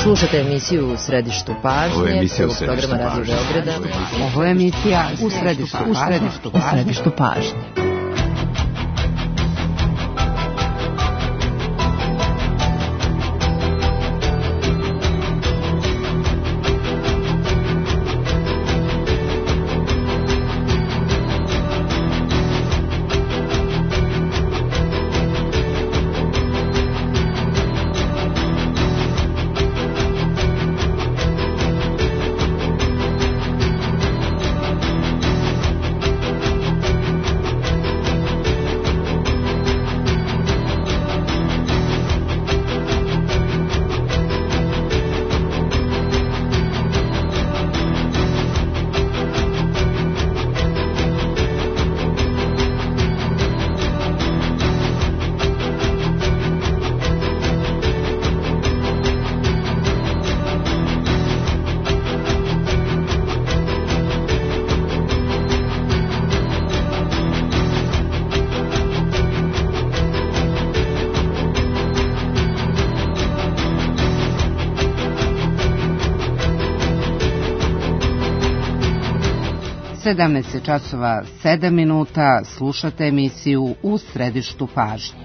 Slušate emisiju U središtu pažnje. Ovo je emisija U središtu programa Radio Beograda. Ovo je emisija U središtu pažnje. Časova 7 minuta, slušate emisiju U središtu pažnje.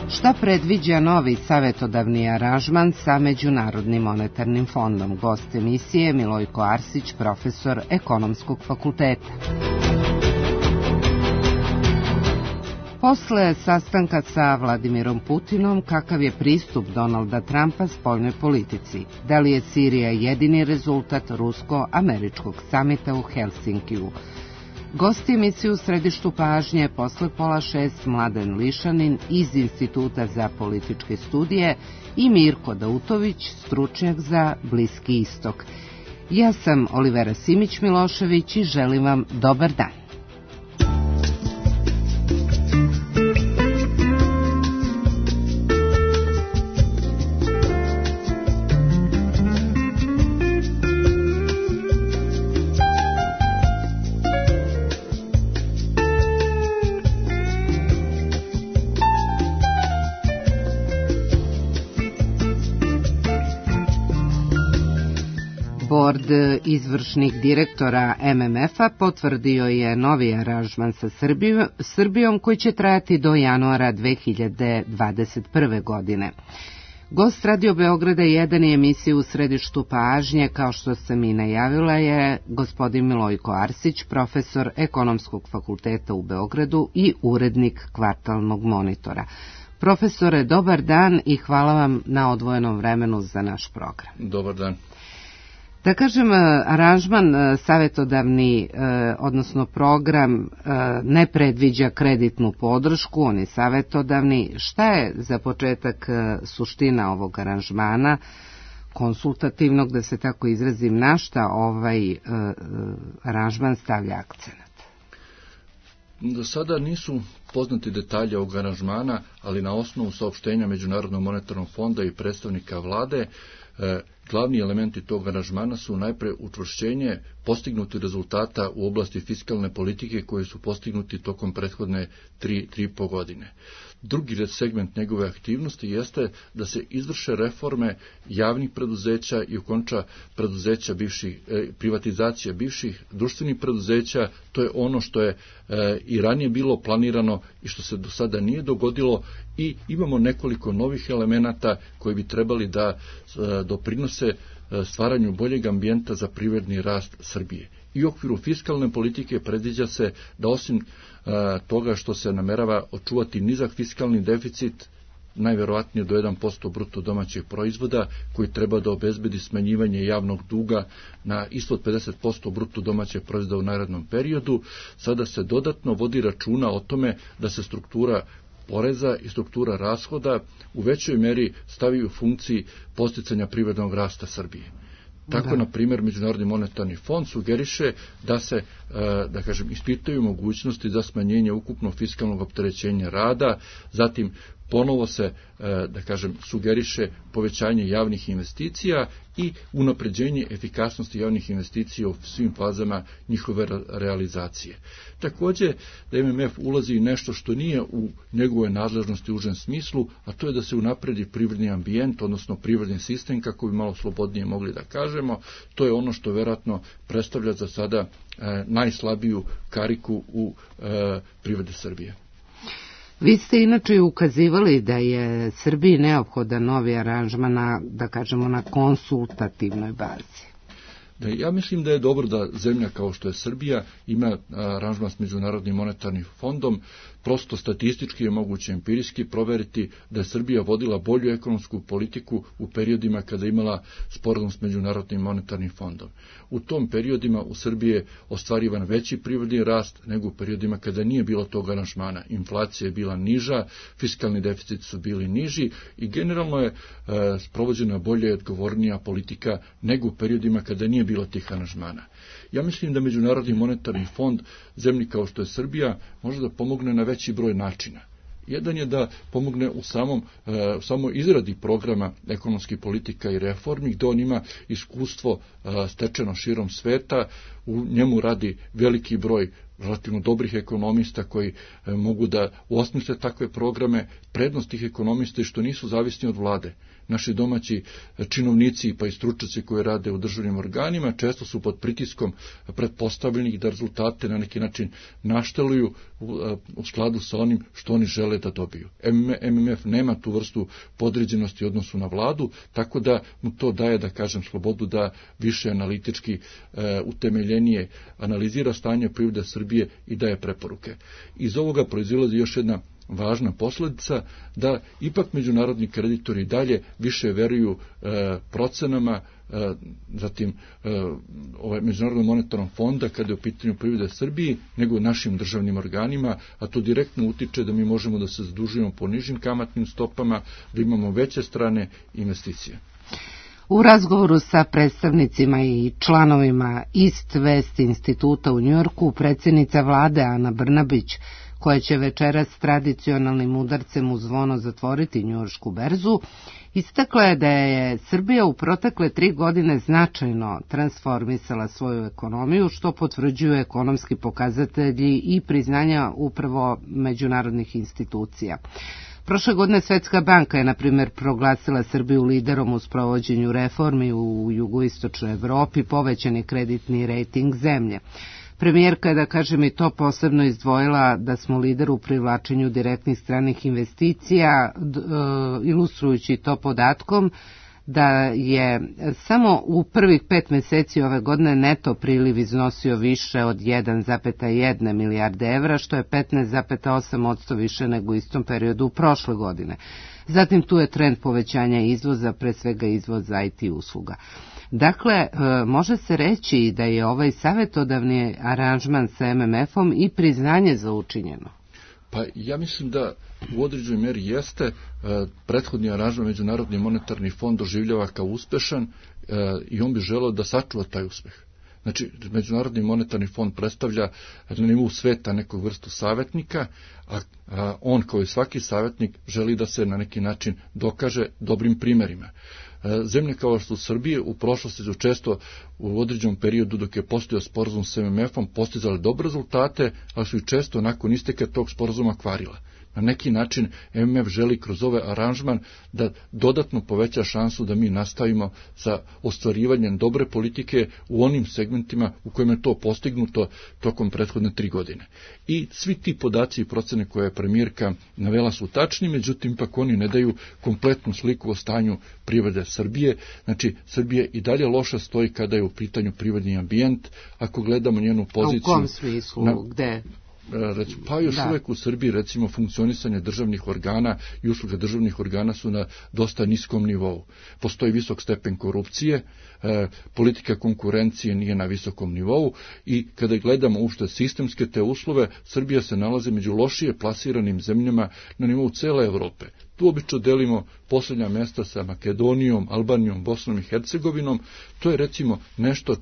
Šta predviđa novi savjetodavni aranžman sa Međunarodnim monetarnim fondom? Gost emisije Milojko Arsić, profesor Ekonomskog fakulteta. Posle sastanka sa Vladimirom Putinom, kakav je pristup Donalda Trumpa spoljnoj politici? Da li je Sirija jedini rezultat rusko-američkog samita u Helsinkiju? Gosti emisiju U središtu pažnje posle 5:30 Mladen Lišanin iz Instituta za političke studije i Mirko Dautović, stručnjak za Bliski istok. Ja sam Olivera Simić-Milošević i želim vam dobar dan. Bord izvršnih direktora MMF-a potvrdio je novi aranžman sa Srbijom koji će trajati do januara 2021. godine. Gost Radio Beograda 1 i emisije U središtu pažnje, kao što sam i najavila, je gospodin Milojko Arsić, profesor Ekonomskog fakulteta u Beogradu i urednik Kvartalnog monitora. Profesore, dobar dan i hvala vam na odvojenom vremenu za naš program. Dobar dan. Da kažem, aranžman savjetodavni, odnosno program, ne predviđa kreditnu podršku, on je savjetodavni. Šta je za početak suština ovog aranžmana, konsultativnog, da se tako izrazim, na šta ovaj aranžman stavlja akcenat? Do sada nisu poznati detalje ovog aranžmana, ali na osnovu saopštenja Međunarodnog monetarnog fonda i predstavnika vlade, glavni elementi tog aranžmana su najpre učvršćenje postignutih rezultata u oblasti fiskalne politike koji su postignuti tokom prethodne 3,5 godine. Drugi segment njegove aktivnosti jeste da se izvrše reforme javnih preduzeća i okonča preduzeća privatizacija bivših društvenih preduzeća. To je ono što je i ranije bilo planirano i što se do sada nije dogodilo, i imamo nekoliko novih elemenata koji bi trebali da doprinose stvaranju boljeg ambijenta za privredni rast Srbije. I u okviru fiskalne politike predviđa se da osim toga što se namerava očuvati nizak fiskalni deficit, najverovatnije do 1% bruto domaćeg proizvoda, koji treba da obezbedi smanjivanje javnog duga na ispod 50% bruto domaćeg proizvoda u narednom periodu, sada se dodatno vodi računa o tome da se struktura poreza i struktura rashoda u većoj meri stavi u funkciji posticanja privrednog rasta Srbije. Tako, na primjer, Međunarodni monetarni fond sugeriše da se, ispitaju mogućnosti za smanjenje ukupno fiskalnog opterećenja rada, zatim ponovo se, da kažem, sugeriše povećanje javnih investicija i unapređenje efikasnosti javnih investicija u svim fazama njihove realizacije. Također, da MMF ulazi i nešto što nije u njegove nadležnosti u užem smislu, a to je da se unapredi privredni ambijent, odnosno privredni sistem, kako bi malo slobodnije mogli da kažemo. To je ono što vjerojatno predstavlja za sada najslabiju kariku u privredi Srbije. Vi ste inače ukazivali da je Srbiji neophodan novi aranžman na, da kažemo, na konsultativnoj bazi. Da, ja mislim da je dobro da zemlja kao što je Srbija ima aranžman s Međunarodnim monetarnim fondom. Prosto statistički je moguće empirijski proveriti da je Srbija vodila bolju ekonomsku politiku u periodima kada je imala sporazum s Međunarodnim monetarnim fondom. U tom periodima u Srbiji je ostvarivan veći privredni rast nego u periodima kada nije bilo tog aranžmana. Inflacija je bila niža, fiskalni deficit su bili niži i generalno je sprovođena bolja i odgovornija politika nego u periodima kada nije bilo tih aranžmana. Ja mislim da Međunarodni monetarni fond zemlji kao što je Srbija može da pomogne na veći broj načina. Jedan je da pomogne u samoj izradi programa ekonomskih politika i reformi, gdje on ima iskustvo stečeno širom sveta, u njemu radi veliki broj relativno dobrih ekonomista koji mogu da osmisle takve programe. Prednost tih ekonomista je što nisu zavisni od vlade. Naši domaći činovnici pa i stručnjaci koji rade u državnim organima često su pod pritiskom pretpostavljenih da rezultate na neki način našteluju u skladu sa onim što oni žele da dobiju. MMF nema tu vrstu podređenosti u odnosu na vladu, tako da mu to daje, da kažem, slobodu da više analitički utemeljenije analizira stanje privrede Srbije i daje preporuke. Iz ovoga proizilazi još jedna važna posljedica, da ipak međunarodni kreditori dalje više veruju procenama, zatim Međunarodnog monetarnog fonda kada je u pitanju privrede Srbiji, nego našim državnim organima, a to direktno utiče da mi možemo da se zadužujemo po nižim kamatnim stopama, da imamo veće strane investicije. U razgovoru sa predstavnicima i članovima East West instituta u Njujorku, predsjednica vlade Ana Brnabić, koja će večeras s tradicionalnim udarcem u zvono zatvoriti njujoršku berzu, istakla je da je Srbija u protekle 3 godine značajno transformisala svoju ekonomiju, što potvrđuju ekonomski pokazatelji i priznanja upravo međunarodnih institucija. Prošle godine Svetska banka je, na primjer, proglasila Srbiju liderom u sprovođenju reformi u jugoistočnoj Evropi, povećan je kreditni rejting zemlje. Premijerka je, da kažem, i to posebno izdvojila da smo lider u privlačenju direktnih stranih investicija, ilustrujući to podatkom da je samo u prvih 5 mjeseci ove godine neto priliv iznosio više od 1,1 milijarde evra, što je 15,8% više nego u istom periodu prošle godine. Zatim tu je trend povećanja izvoza, pre svega izvoza IT usluga. Dakle, može se reći da je ovaj savjetodavni aranžman sa MMF-om i priznanje za učinjeno. Pa ja mislim da u određenoj mjeri jeste. Prethodni aranžman Međunarodni monetarni fond doživljava kao uspešan i on bi želeo da sačuva taj uspeh. Znači, Međunarodni monetarni fond predstavlja na nivou sveta neku vrstu savjetnika, a on kao i svaki savjetnik želi da se na neki način dokaže dobrim primjerima. Zemlje kao što su Srbije u prošlosti su često u određenom periodu dok je postojao sporazum s MMF-om postizali dobre rezultate, ali su i često nakon isteka tog sporazuma kvarila. Na neki način MMF želi kroz ovaj aranžman da dodatno poveća šansu da mi nastavimo sa ostvarivanjem dobre politike u onim segmentima u kojima je to postignuto tokom prethodne 3 godine. I svi ti podaci i procene koje je premijerka navela su tačni, međutim ipak oni ne daju kompletnu sliku o stanju privrede Srbije. Znači, Srbija i dalje loša stoji kada je u pitanju privredni ambijent. Ako gledamo njenu poziciju... A u kom smislu? Gde? Pa još uvijek u Srbiji, recimo, funkcionisanje državnih organa i usluge državnih organa su na dosta niskom nivou. Postoji visok stepen korupcije, politika konkurencije nije na visokom nivou i kada gledamo uopšte sistemske te uslove, Srbija se nalazi među lošije plasiranim zemljama na nivou cele Evrope. Tu obično delimo posljednja mjesta sa Makedonijom, Albanijom, Bosnom i Hercegovinom. To je recimo nešto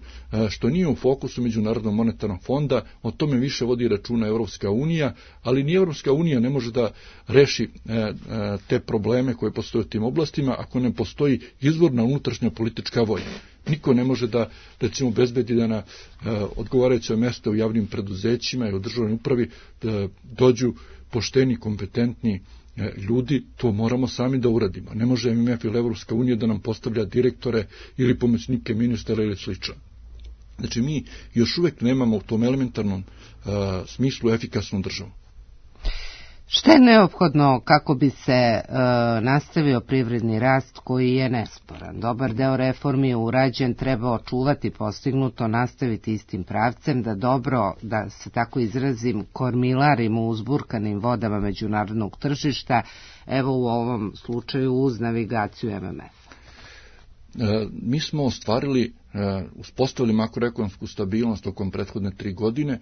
što nije u fokusu Međunarodnog monetarnog fonda, o tome više vodi računa Europska unija, ali ni Europska unija ne može da reši te probleme koje postoje u tim oblastima ako ne postoji izvorna unutrašnja politička volja. Niko ne može da, recimo, bezbedi da na odgovarajuće mjesta u javnim preduzećima i u državnoj upravi da dođu pošteni, kompetentni ljudi, to moramo sami da uradimo. Ne može MMF ili Evropska unija da nam postavlja direktore ili pomoćnike ministara ili slično. Znači, mi još uvijek nemamo u tom elementarnom smislu efikasnu državu. Šta je neophodno kako bi se nastavio privredni rast koji je nesporan? Dobar deo reformi je urađen, treba očuvati postignuto, nastaviti istim pravcem, da dobro, da se tako izrazim, kormilarimo u uzburkanim vodama međunarodnog tržišta, evo u ovom slučaju uz navigaciju MMF. Mi smo ostvarili, uspostavili makroekonomsku stabilnost tokom prethodne 3 godine,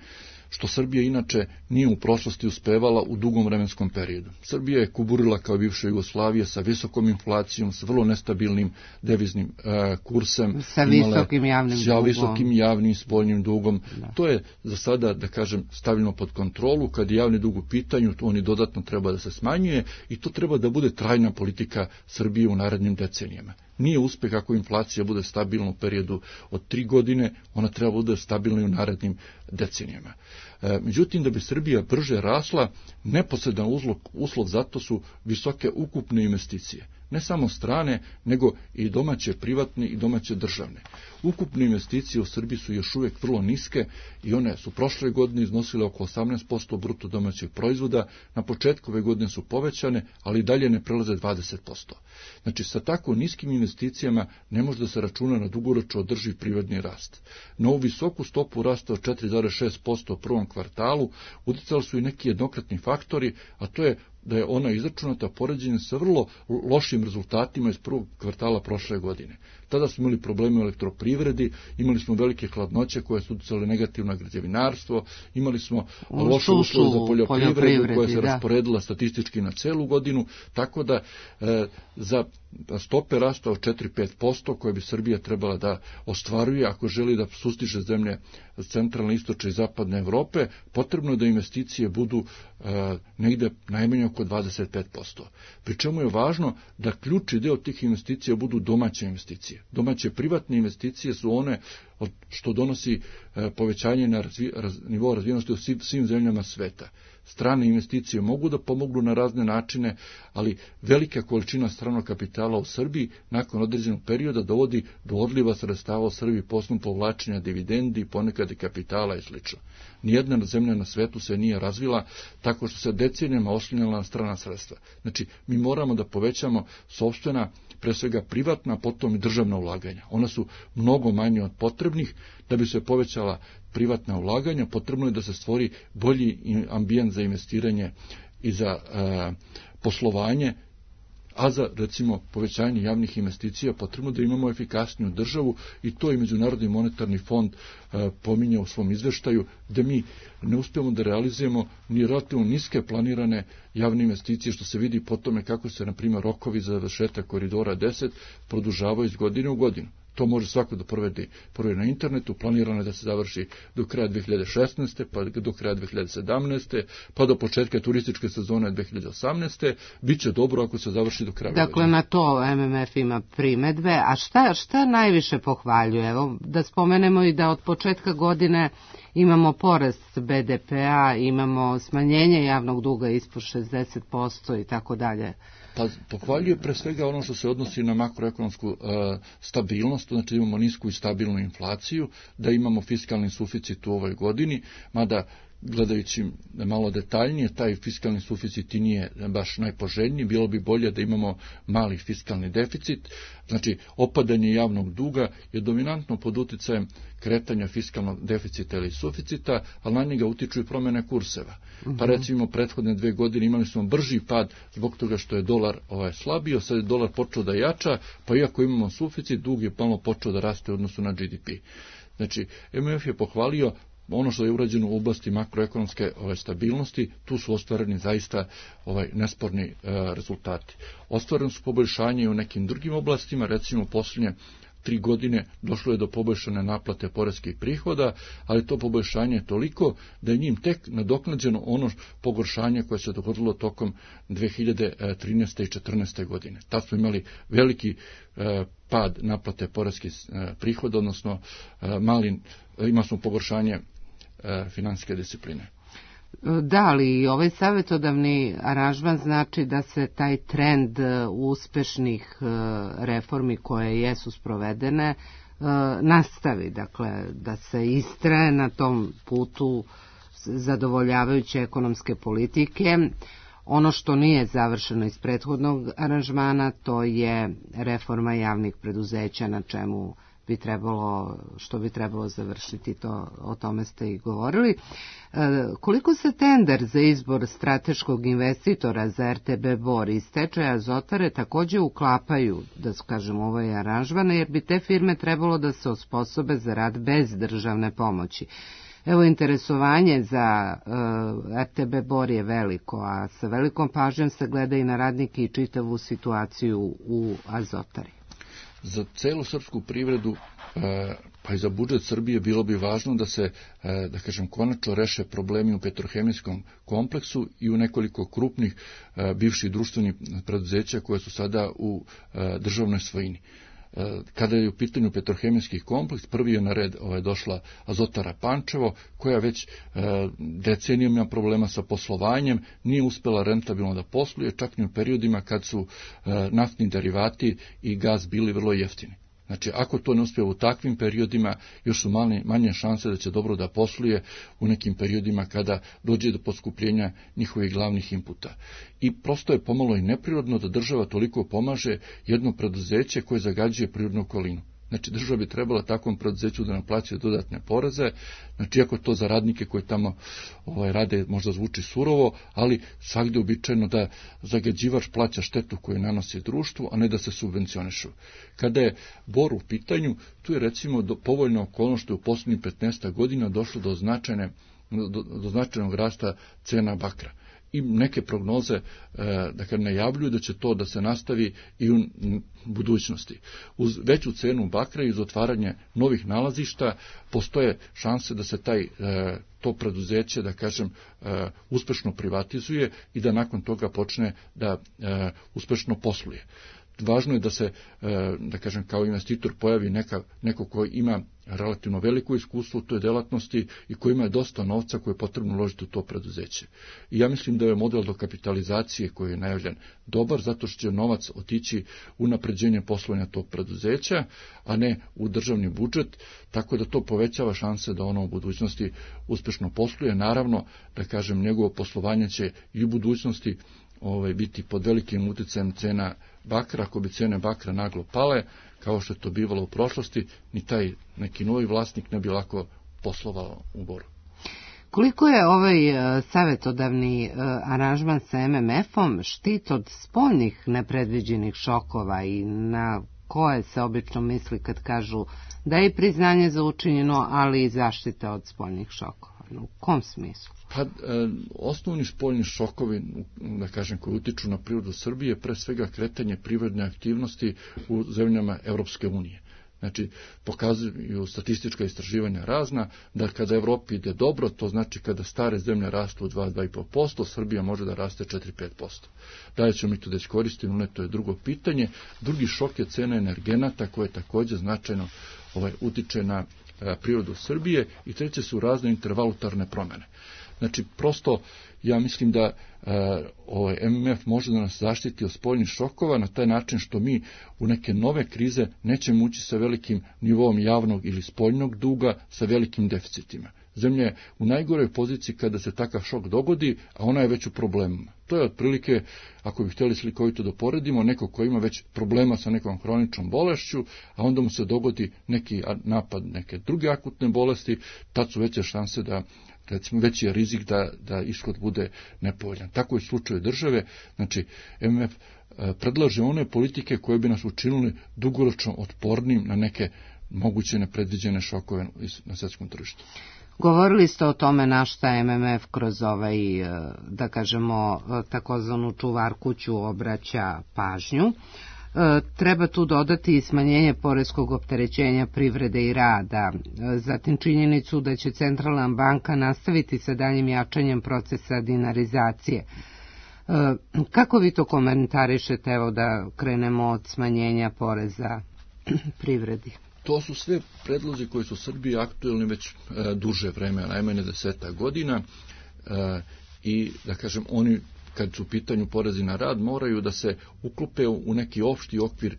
što Srbija inače nije u prošlosti uspevala u dugom vremenskom periodu. Srbija je kuburila kao bivša Jugoslavija sa visokom inflacijom, sa vrlo nestabilnim deviznim kursem, sa visokim javnim spoljnim dugom. Da. To je za sada, da kažem, stavljeno pod kontrolu. Kad je javni dug u pitanju, to oni dodatno treba da se smanjuje i to treba da bude trajna politika Srbije u narednim decenijama. Nije uspeh ako inflacija bude stabilna u periodu od 3 godine, ona treba bude stabilna i u narednim decenijama. Međutim, da bi Srbija brže rasla, neposredan uslov za to su visoke ukupne investicije. Ne samo strane, nego i domaće privatne i domaće državne. Ukupne investicije u Srbiji su još uvijek vrlo niske i one su prošle godine iznosile oko 18% bruto domaćeg proizvoda, na početku ove godine su povećane, ali dalje ne prelaze 20%. Znači, sa tako niskim investicijama ne može da se računa na dugoročno održiv privredni rast. Na ovu visoku stopu rasta od 4,6% u prvom kvartalu utjecali su i neki jednokratni faktori, a to je da je ona izračunata poređenjem sa vrlo lošim rezultatima iz prvog kvartala prošle godine. Tada smo imali probleme u elektroprivredi, imali smo velike hladnoće koje su utjecale negativno na građevinarstvo, imali smo loše uslove za poljoprivredu koja se rasporedila statistički na celu godinu, tako da za stope rasta od 4-5% koje bi Srbija trebala da ostvaruje ako želi da sustiže zemlje centralne, istočne i zapadne Evrope, potrebno je da investicije budu negde najmanje oko 25%. Pri čemu je važno da ključni deo tih investicija budu domaće investicije. Domaće privatne investicije su one što donosi povećanje na nivou razvijenosti u svim zemljama sveta. Strane investicije mogu da pomognu na razne načine, ali velika količina stranog kapitala u Srbiji nakon određenog perioda dovodi do odliva sredstava u Srbiji poslom povlačenja dividendi, ponekad i kapitala i sl. Nijedna zemlja na svetu se nije razvila tako što se decenijama oslanjala na strana sredstva. Znači, mi moramo da povećamo sopstvena, pre svega privatna, potom i državna ulaganja. Ona su mnogo manje od potrebnih. Da bi se povećala privatna ulaganja, potrebno je da se stvori bolji ambijent za investiranje i za poslovanje, a za, recimo, povećanje javnih investicija potrebno da imamo efikasniju državu i to i Međunarodni monetarni fond pominje u svom izveštaju, da mi ne uspijemo da realizujemo ni relativno niske planirane javne investicije, što se vidi po tome kako se, na primjer, rokovi za završetak koridora 10 produžavaju iz godine u godinu. To može svako da proveri na internetu, planirano je da se završi do kraja 2016. pa do kraja 2017. pa do početka turističke sezone 2018. Biće dobro ako se završi do kraja. Dakle, na to MMF ima primedbe, a šta najviše pohvaljuje? Evo, da spomenemo i da od početka godine imamo porast BDP-a, imamo smanjenje javnog duga ispod 60% i tako dalje. Pa pohvaljuje pre svega ono što se odnosi na makroekonomsku stabilnost, znači imamo nisku i stabilnu inflaciju, da imamo fiskalni suficit u ovoj godini, mada gledajući malo detaljnije, taj fiskalni suficit i nije baš najpoželjniji, bilo bi bolje da imamo mali fiskalni deficit, znači opadanje javnog duga je dominantno pod uticajem kretanja fiskalnog deficita ili suficita, ali na njega utiču i promjene kurseva. Pa recimo prethodne 2 godine imali smo brži pad zbog toga što je dolar slabio, sad je dolar počeo da jača, pa iako imamo suficit, dug je malo počeo da raste u odnosu na GDP. Znači, MMF je pohvalio ono što je urađeno u oblasti makroekonomske stabilnosti, tu su ostvareni zaista nesporni rezultati. Ostvareni su poboljšanje i u nekim drugim oblastima, recimo posljednje 3 godine došlo je do poboljšane naplate poreskih prihoda, ali to poboljšanje je toliko da je njim tek nadoknađeno ono pogoršanje koje se dogodilo tokom 2013. i 2014. godine. Tad smo imali veliki pad naplate poreskih prihoda, odnosno imali smo pogoršanje finansijske discipline. Da, ali ovaj savjetodavni aranžman znači da se taj trend uspešnih reformi koje jesu sprovedene nastavi, dakle da se istraje na tom putu zadovoljavajuće ekonomske politike. Ono što nije završeno iz prethodnog aranžmana, to je reforma javnih preduzeća, na čemu što bi trebalo završiti, o tome ste i govorili. Koliko se tender za izbor strateškog investitora za RTB Bor i stečaja Azotare takođe uklapaju, da kažem, ovaj aranžman, jer bi te firme trebalo da se osposobe za rad bez državne pomoći. Evo, interesovanje za RTB Bor je veliko, a sa velikom pažnjom se gleda i na radnike i čitavu situaciju u Azotari. Za celu srpsku privredu, pa i za budžet Srbije bilo bi važno da se, da kažem, konačno reše problemi u petrohemijskom kompleksu i u nekoliko krupnih bivših društvenih preduzeća koje su sada u državnoj svojini. Kada je u pitanju petrohemijski kompleks, prvi je na red došla Azotara Pančevo, koja već decenijama ima problema sa poslovanjem, nije uspela rentabilno da posluje, čak i u periodima kad su naftni derivati i gaz bili vrlo jeftini. Znači, ako to ne uspije u takvim periodima, još su manje šanse da će dobro da posluje u nekim periodima kada dođe do poskupljenja njihovih glavnih inputa. I prosto je pomalo i neprirodno da država toliko pomaže jedno preduzeće koje zagađuje prirodnu okolinu. Znači, država bi trebala takvom preduzeću da naplaćuje dodatne poreze, znači, iako to za radnike koji tamo rade možda zvuči surovo, ali svakde uobičajeno da zagađivač plaća štetu koju nanosi društvu, a ne da se subvencionišu. Kada je Bor u pitanju, tu je recimo povoljna okolnost što je u posljednjih 15 godina došlo do značajnog rasta cena bakra. I neke prognoze najavljuju da će to da se nastavi i u budućnosti. Uz veću cenu bakra i uz otvaranje novih nalazišta postoje šanse da se to preduzeće, da kažem, uspešno privatizuje i da nakon toga počne da uspešno posluje. Važno je da se, da kažem, kao investitor pojavi neko koji ima relativno veliko iskustvo u toj delatnosti i koji ima dosta novca koje je potrebno uložiti u to preduzeće. I ja mislim da je model dokapitalizacije koji je najavljen dobar, zato što će novac otići u napređenje poslovanja tog preduzeća, a ne u državni budžet, tako da to povećava šanse da ono u budućnosti uspešno posluje. Naravno, da kažem, njegovo poslovanje će i u budućnosti biti pod velikim uticajem cena bakra. Ako bi cene bakra naglo pale, kao što je to bivalo u prošlosti, ni taj neki novi vlasnik ne bi lako poslovao u Boru. Koliko je ovaj savjetodavni aranžman sa MMF-om štit od spoljnih nepredviđenih šokova i na koje se obično misli kad kažu da je priznanje za učinjeno, ali i zaštita od spoljnih šokova? U kom smislu? Pa, osnovni spoljni šokovi, da kažem, koji utiču na prirodu Srbije, pre svega kretanje privredne aktivnosti u zemljama Evropske unije. Znači, pokazuju statistička istraživanja razna, da kada Evropi ide dobro, to znači kada stare zemlje rastu 2-2,5%, Srbija može da raste 4-5%. Da li ćemo mi to da iskoristimo, ne, to je drugo pitanje. Drugi šok je cena energenata, koje također značajno utiče na prirodu Srbije, i treće su razne intervalutarne promjene. Znači, prosto, ja mislim da MMF može da nas zaštiti od spoljnih šokova na taj način što mi u neke nove krize nećemo ući sa velikim nivoom javnog ili spoljnog duga, sa velikim deficitima. Zemlja je u najgoroj poziciji kada se takav šok dogodi, a ona je već u problemima. To je otprilike, ako bi htjeli slikovito da poredimo, neko ko ima već problema sa nekom hroničnom bolešću, a onda mu se dogodi neki napad neke druge akutne bolesti, tad su veće šanse da, recimo, veći je rizik da ishod bude nepovoljan. Tako je u slučaju države. Znači, MMF predlaže one politike koje bi nas učinili dugoročno otpornim na neke moguće nepredviđene šokove na svjetskom tržištu. Govorili ste o tome na šta MMF kroz ovaj, da kažemo, takozvanu čuvar kuću obraća pažnju. Treba tu dodati i smanjenje poreskog opterećenja privrede i rada, zatim činjenicu da će centralna banka nastaviti sa daljim jačanjem procesa dinarizacije. Kako vi to komentarišete, evo da krenemo od smanjenja poreza privredi? To su sve predlozi koji su u Srbiji aktuelni već duže vreme, najmanje 10 godina i da kažem oni kad su u pitanju porezi na rad moraju da se uklope u neki opšti okvir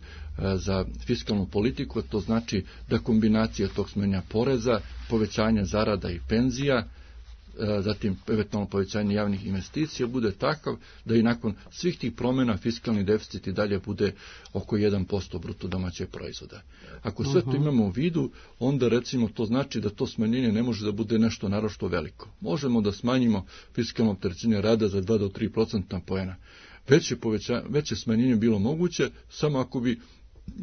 za fiskalnu politiku, to znači da kombinacija tog smanjenja poreza, povećanja zarada i penzija, zatim eventualno povećanje javnih investicija bude takav da i nakon svih tih promjena fiskalni deficit i dalje bude oko 1% bruto domaćeg proizvoda. Ako sve to imamo u vidu, onda recimo to znači da to smanjenje ne može da bude nešto naročito veliko. Možemo da smanjimo fiskalno opterećenje rada za 2 do 3% poena. Veće smanjenje bilo moguće samo ako bi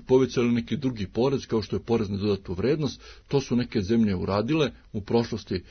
povećali neki drugi porez kao što je porez na dodatu vrednost. To su neke zemlje uradile u prošlosti.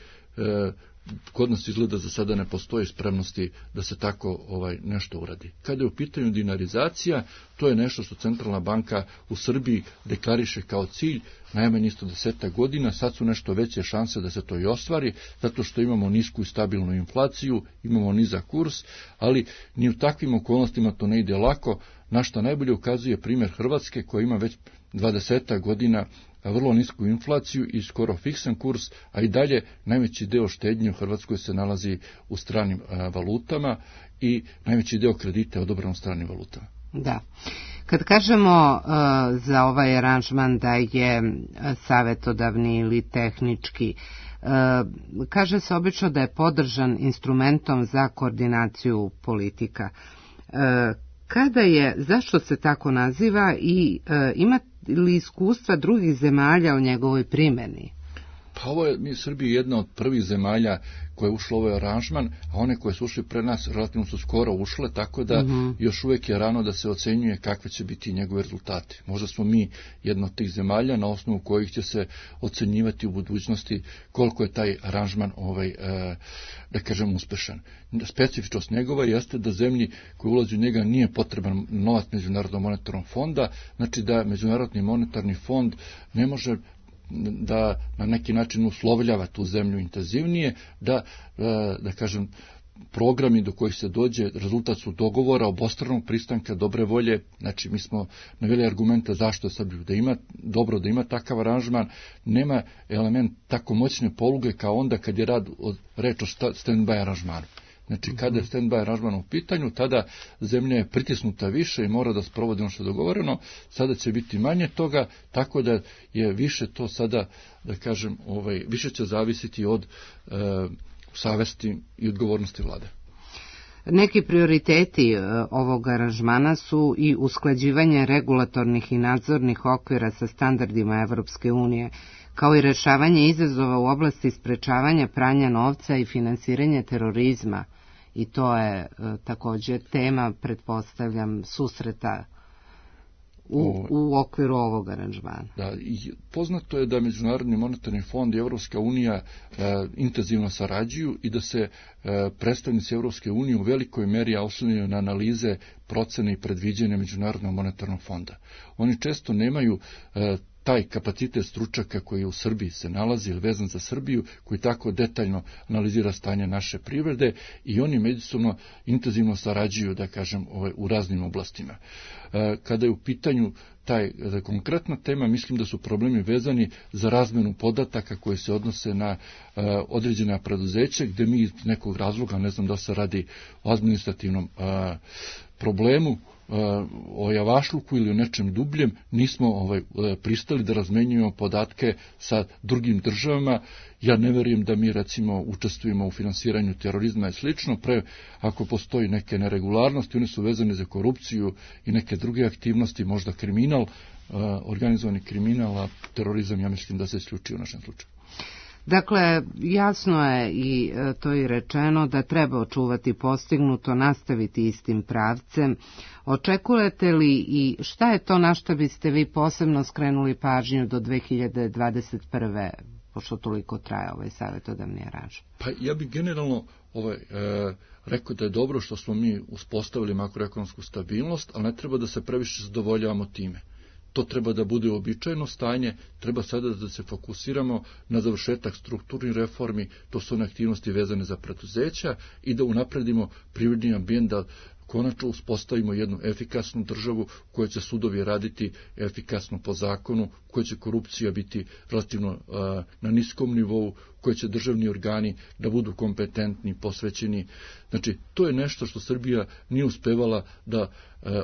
Kod nas izgleda za sada ne postoji spremnosti da se tako nešto uradi. Kada je u pitanju dinarizacija, to je nešto što Centralna banka u Srbiji deklariše kao cilj najmanje isto 10 godina, sad su nešto veće šanse da se to i ostvari, zato što imamo nisku i stabilnu inflaciju, imamo nizak kurs, ali ni u takvim okolnostima to ne ide lako, na što najbolje ukazuje primjer Hrvatske koja ima već 20 godina vrlo nisku inflaciju i skoro fiksan kurs, a i dalje najveći deo štednje u Hrvatskoj se nalazi u stranim valutama i najveći deo kredita je odobran u stranim valutama. Da. Kad kažemo za ovaj aranžman da je savjetodavni ili tehnički, kaže se obično da je podržan instrumentom za koordinaciju politika. Kada je, zašto se tako naziva i ima li iskustva drugih zemalja o njegovoj primjeni? Pa ovo je mi Srbiji jedna od prvih zemalja koja je ušla u ovaj aranžman, a one koje su ušli pre nas relativno su skoro ušle, tako da još uvijek je rano da se ocenjuje kakve će biti njegove rezultati. Možda smo mi jedna od tih zemalja na osnovu kojih će se ocenjivati u budućnosti koliko je taj aranžman da kažem uspešan. Specifičnost njegova jeste da zemlji koji ulazi u njega nije potreban novac Međunarodnog monetarnog fonda, znači da Međunarodni monetarni fond ne može da na neki način uslovljava tu zemlju intenzivnije, da kažem, programi do kojih se dođe, rezultat su dogovora, obostranog pristanka, dobre volje, znači mi smo naveli argumente zašto je Srbiju dobro da ima takav aranžman, nema element tako moćne poluge kao onda kad je reč o stand-by aranžmanu. Znači, kada je stand-by aranžman u pitanju, tada zemlja je pritisnuta više i mora da sprovodi ono što je dogovoreno, sada će biti manje toga, tako da je više to sada, da kažem, više će zavisiti od savesti i odgovornosti vlade. Neki prioriteti ovog aranžmana su i usklađivanje regulatornih i nadzornih okvira sa standardima Evropske unije, kao i rešavanje izazova u oblasti sprečavanja pranja novca i finansiranja terorizma. I to je također tema, pretpostavljam, susreta u okviru ovog aranžmana. Da, poznato je da Međunarodni monetarni fond i Evropska unija intenzivno sarađuju i da se predstavnici Evropske unije u velikoj meri oslanjaju na analize, procene i predviđanja Međunarodnog monetarnog fonda. Oni često nemaju taj kapacitet stručnjaka koji u Srbiji se nalazi ili vezan za Srbiju, koji tako detaljno analizira stanje naše privrede i oni međusobno intenzivno sarađuju, da kažem, u raznim oblastima. Kada je u pitanju konkretna tema, mislim da su problemi vezani za razmenu podataka koji se odnose na određena preduzeća, gdje mi iz nekog razloga, ne znam da se radi o administrativnom problemu, o javašluku ili o nečem dubljem, nismo pristali da razmenjujemo podatke sa drugim državama. Ja ne verujem da mi recimo učestvujemo u finansiranju terorizma i slično, ako postoji neke neregularnosti, one su vezane za korupciju i neke druge aktivnosti, možda kriminal, organizovani kriminal, a terorizam ja mislim da se isključio u našem slučaju. Dakle, jasno je i to je rečeno da treba očuvati postignuto, nastaviti istim pravcem. Očekujete li i šta je to na što biste vi posebno skrenuli pažnju do 2021. pošto toliko traje ovaj savjetodavni aranžman? Pa ja bih generalno rekao da je dobro što smo mi uspostavili makroekonomsku stabilnost, ali ne treba da se previše zadovoljavamo time. To treba da bude uobičajeno stanje, treba sada da se fokusiramo na završetak strukturnih reformi, to su one aktivnosti vezane za preduzeća i da unapredimo privredni ambijent, da konačno uspostavimo jednu efikasnu državu u kojoj će sudovi raditi efikasno po zakonu, u kojoj će korupcija biti relativno na niskom nivou, u kojoj će državni organi da budu kompetentni, posvećeni. Znači, to je nešto što Srbija nije uspevala da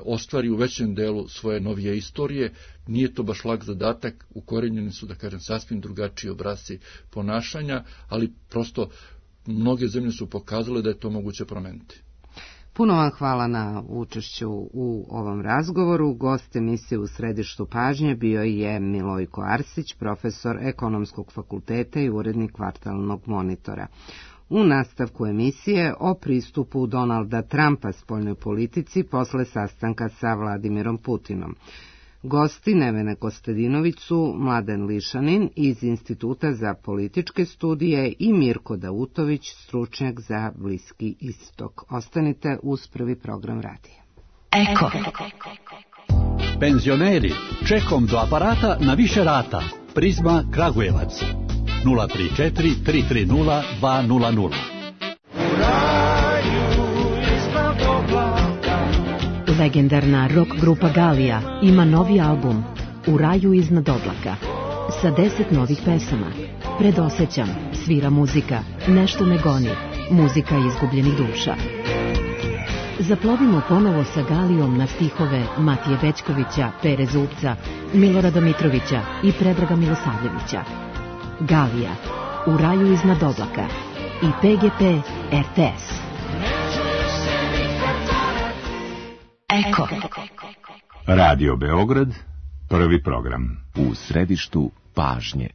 ostvari u većem delu svoje novije istorije. Nije to baš lak zadatak, ukorenjeni su, da kažem, sasvim drugačiji obrasci ponašanja, ali prosto mnoge zemlje su pokazale da je to moguće promeniti. Puno vam hvala na učešću u ovom razgovoru. Gost emisije U središtu pažnje bio je Milojko Arsić, profesor Ekonomskog fakulteta i urednik Kvartalnog monitora. U nastavku emisije o pristupu Donalda Trumpa spoljnoj politici posle sastanka sa Vladimirom Putinom. Gosti Nevene Kostadinović su Mladen Lišanin iz Instituta za političke studije i Mirko Dautović, stručnjak za Bliski istok. Ostanite uz prvi program radija. Eko. Penzioneri, čekom do aparata na više rata. Prizma Kragujevac. 034 330 200. Legendarna rock grupa Galija ima novi album U raju iznad oblaka sa 10 novih pesama. Predosećam, svira muzika, nešto me goni, muzika izgubljenih duša. Zaplovimo ponovo sa Galijom na stihove Matije Bećkovića, Pere Zupca, Milorada Mitrovića i Predraga Milosavljevića. Galija, U raju iznad oblaka i PGP RTS. Eko. Radio Beograd, prvi program. U središtu pažnje.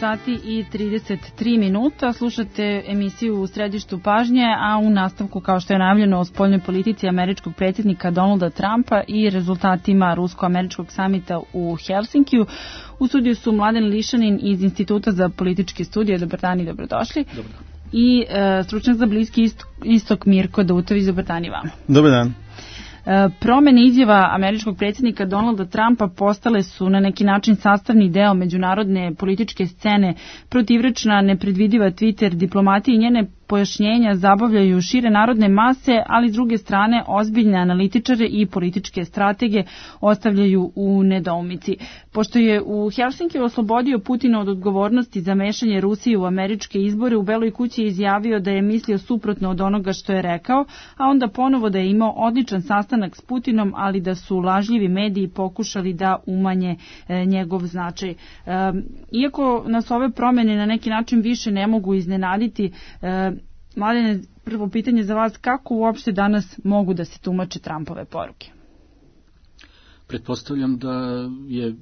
Sati i 33 minuta. Slušate emisiju U središtu pažnje, a u nastavku, kao što je najavljeno, o spoljnoj politici američkog predsjednika Donalda Trumpa i rezultatima rusko-američkog samita u Helsinkiju. U studiju su Mladen Lišanin iz Instituta za političke studije. Dobar dan i dobrodošli. Dobar dan. I stručnjak za Bliski istok Mirko Dautović. Dobar dan i vama. Dobar dan. Promene izjava američkog predsjednika Donalda Trumpa postale su na neki način sastavni deo međunarodne političke scene. Protivrečna, nepredvidiva Twitter diplomatija i njene pojašnjenja zabavljaju šire narodne mase, ali s druge strane ozbiljne analitičare i političke stratege ostavljaju u nedoumici. Pošto je u Helsinkiju oslobodio Putina od odgovornosti za mešanje Rusije u američke izbore, u Beloj kući je izjavio da je mislio suprotno od onoga što je rekao, a onda ponovo da je imao odličan sastanak s Putinom, ali da su lažljivi mediji pokušali da umanje njegov značaj. Iako nas ove promjene na neki način više ne mogu iznenaditi, Mladene, prvo pitanje za vas, kako uopšte danas mogu da se tumače Trumpove poruke? Pretpostavljam da je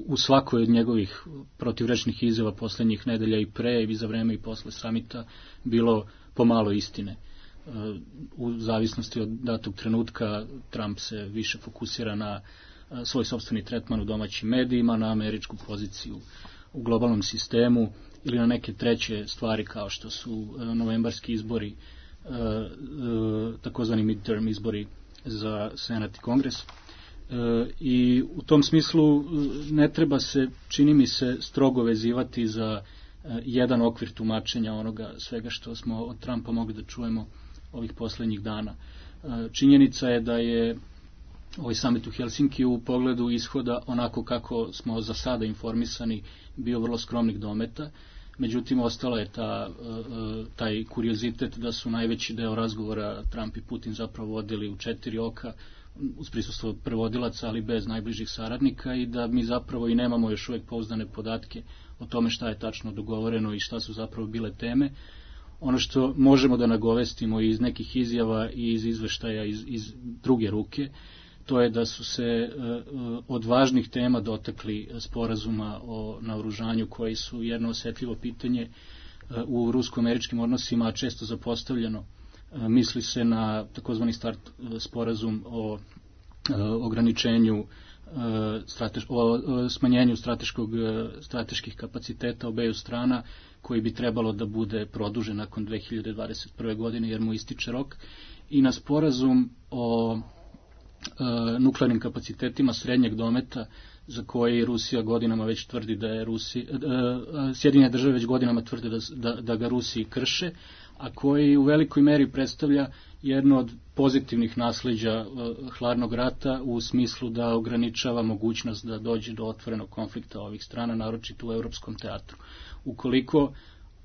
u svakoj od njegovih protivrečnih izjava posljednjih nedelja i pre i za vreme i posle samita bilo pomalo istine. U zavisnosti od datog trenutka Trump se više fokusira na svoj sopstveni tretman u domaćim medijima, na američku poziciju u globalnom sistemu ili na neke treće stvari kao što su novembarski izbori, takozvani midterm izbori za Senat i Kongres. I u tom smislu ne treba se, čini mi se, strogo vezivati za jedan okvir tumačenja onoga svega što smo od Trumpa mogli da čujemo ovih poslednjih dana. Činjenica je da je ovaj samit u Helsinki u pogledu ishoda, onako kako smo za sada informisani, bio vrlo skromnih dometa. Međutim, ostala je taj kuriozitet da su najveći deo razgovora Trump i Putin zapravo vodili u 4 oka, uz prisustvo prevodilaca, ali bez najbližih saradnika, i da mi zapravo i nemamo još uvijek pouzdane podatke o tome šta je tačno dogovoreno i šta su zapravo bile teme. Ono što možemo da nagovestimo iz nekih izjava i iz izveštaja iz druge ruke, to je da su se od važnih tema dotakli sporazuma o naoružanju, koji su jedno osetljivo pitanje u rusko-američkim odnosima, a često zapostavljeno. Misli se na takozvani start sporazum o ograničenju, o smanjenju strateških kapaciteta obeju strana, koji bi trebalo da bude produžen nakon 2021. godine, jer mu ističe rok, i na sporazum o nuklearnim kapacitetima srednjeg dometa, za koji Rusija godinama već tvrdi da je Sjedinjene države već godinama tvrde da ga Rusiji krše, a koji u velikoj meri predstavlja jedno od pozitivnih nasleđa hladnog rata, u smislu da ograničava mogućnost da dođe do otvorenog konflikta ovih strana, naročito u europskom teatru. Ukoliko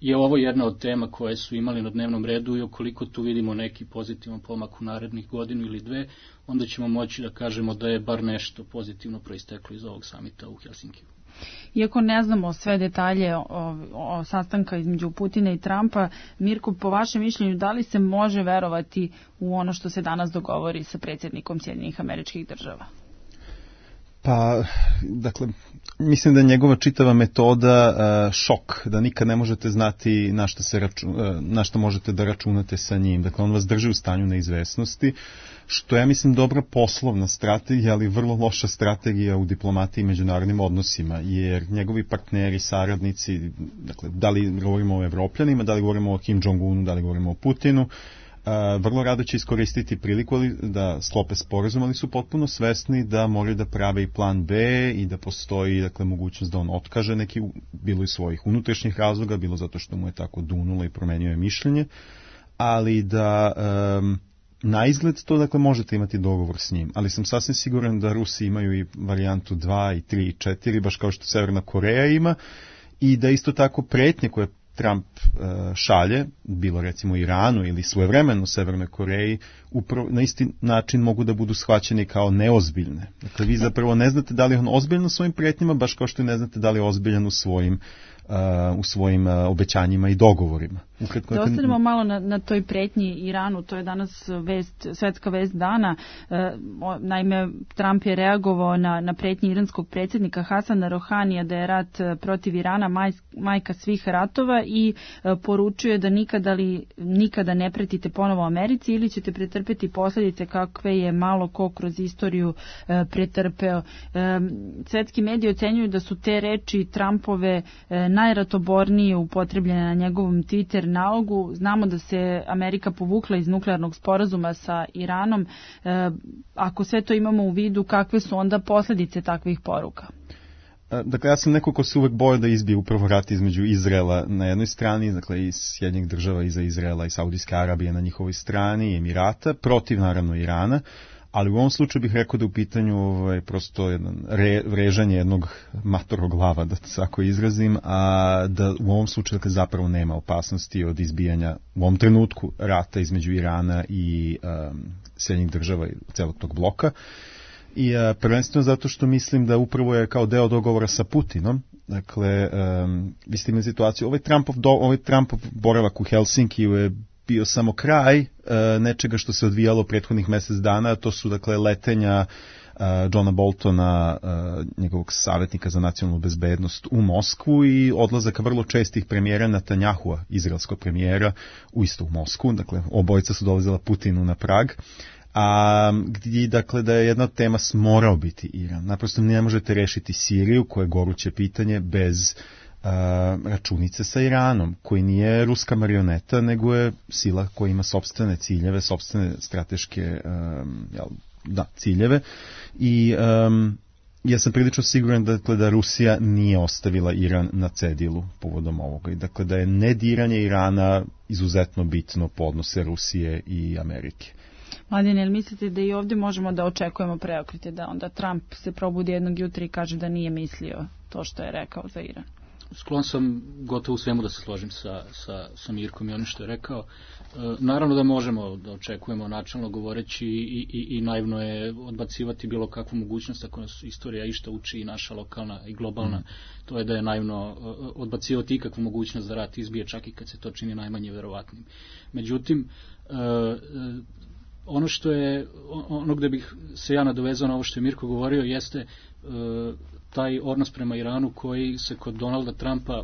je ovo jedna od tema koje su imali na dnevnom redu i ukoliko tu vidimo neki pozitivan pomak u narednih godinu ili dve, onda ćemo moći da kažemo da je bar nešto pozitivno proisteklo iz ovog samita u Helsinkiju. Iako ne znamo sve detalje o sastanka između Putina i Trumpa, Mirko, po vašem mišljenju, da li se može verovati u ono što se danas dogovori sa predsjednikom Sjedinjenih Američkih Država? Pa, dakle, mislim da je njegova čitava metoda šok, da nikad ne možete znati na što možete da računate sa njim. Dakle, on vas drži u stanju neizvesnosti, što ja mislim dobra poslovna strategija, ali vrlo loša strategija u diplomatiji i međunarodnim odnosima, jer njegovi partneri, saradnici, dakle, da li govorimo o Evropljanima, da li govorimo o Kim Jong-unu, da li govorimo o Putinu, vrlo rado će iskoristiti priliku da sklope sporazum, ali su potpuno svesni da moraju da prave i plan B i da postoji, dakle, mogućnost da on otkaže neki, bilo iz svojih unutrašnjih razloga, bilo zato što mu je tako dunulo i promenio je mišljenje, ali da na izgled to, dakle, možete imati dogovor s njim, ali sam sasvim siguran da Rusi imaju i varijantu 2 i 3 i 4, baš kao što Severna Koreja ima, i da isto tako pretnje koje Trump šalje, bilo recimo Iranu ili svojevremeno Severnoj Koreji, upravo na isti način mogu da budu shvaćeni kao neozbiljne. Dakle, vi zapravo ne znate da li je on ozbiljan u svojim pretnjama, baš kao što ne znate da li je ozbiljan u svojim obećanjima i dogovorima. Da ostanemo malo na toj pretnji Iranu, to je danas svetska vest dana. Naime, Trump je reagovao na pretnji iranskog predsjednika Hasana Rohanija da je rat protiv Irana majka svih ratova i poručuje da nikada ne pretite ponovo Americi ili ćete pretrpeti posljedice kakve je malo ko kroz istoriju pretrpeo. Svetski mediji ocenjuju da su te reči Trumpove najratobornije upotrebljene na njegovom Twitter nalogu. Znamo da se Amerika povukla iz nuklearnog sporazuma sa Iranom. Ako sve to imamo u vidu, kakve su onda posljedice takvih poruka? Dakle, ja sam neko ko se uvek boje da izbije upravo rat između Izraela na jednoj strani, dakle, iz Sjedinjenih država iza Izraela i Saudijske Arabije na njihovoj strani i Emirata, protiv naravno Irana, ali u ovom slučaju bih rekao da u pitanju prosto vrežanje jednog matorog glava, da se tako izrazim, a da u ovom slučaju, dakle, zapravo nema opasnosti od izbijanja u ovom trenutku rata između Irana i Sjedinjenih država i celog tog bloka. I prvenstveno zato što mislim da upravo je kao deo dogovora sa Putinom, dakle, vi ste imali situaciju, ovaj Trumpov boravak u Helsinkiju je bio samo kraj nečega što se odvijalo prethodnih mjesec dana, to su, dakle, letenja Johna Boltona, njegovog savjetnika za nacionalnu bezbednost, u Moskvu i odlazaka vrlo čestih premijera Netanjahua, izraelskog premijera, u Moskvu, dakle, obojica su dolazila Putinu na Prag, a gdje, dakle, da je jedna tema morao biti Iran. Naprosto ne možete rešiti Siriju, koje je goruće pitanje, bez računice sa Iranom, koji nije ruska marioneta, nego je sila koja ima sopstvene ciljeve, sopstvene strateške ciljeve i ja sam prilično siguran da Rusija nije ostavila Iran na cedilu povodom ovoga i dakle da je nediranje Irana izuzetno bitno po odnose Rusije i Amerike. Mladen, jel mislite da i ovdje možemo da očekujemo preokrete, da onda Trump se probudi jednog jutra i kaže da nije mislio to što je rekao za Iran? Sklon sam gotovo u svemu da se složim sa Mirkom i onim što je rekao. Naravno da možemo da očekujemo načalno govoreći i naivno je odbacivati bilo kakvu mogućnost ako nas istorija išta uči i naša lokalna i globalna. To je da je naivno odbacivati ikakvu mogućnost da rat izbije čak i kad se to čini najmanje verovatnim. Međutim, ono gde bih se ja nadovezao na ovo što je Mirko govorio jeste taj odnos prema Iranu koji se kod Donalda Trumpa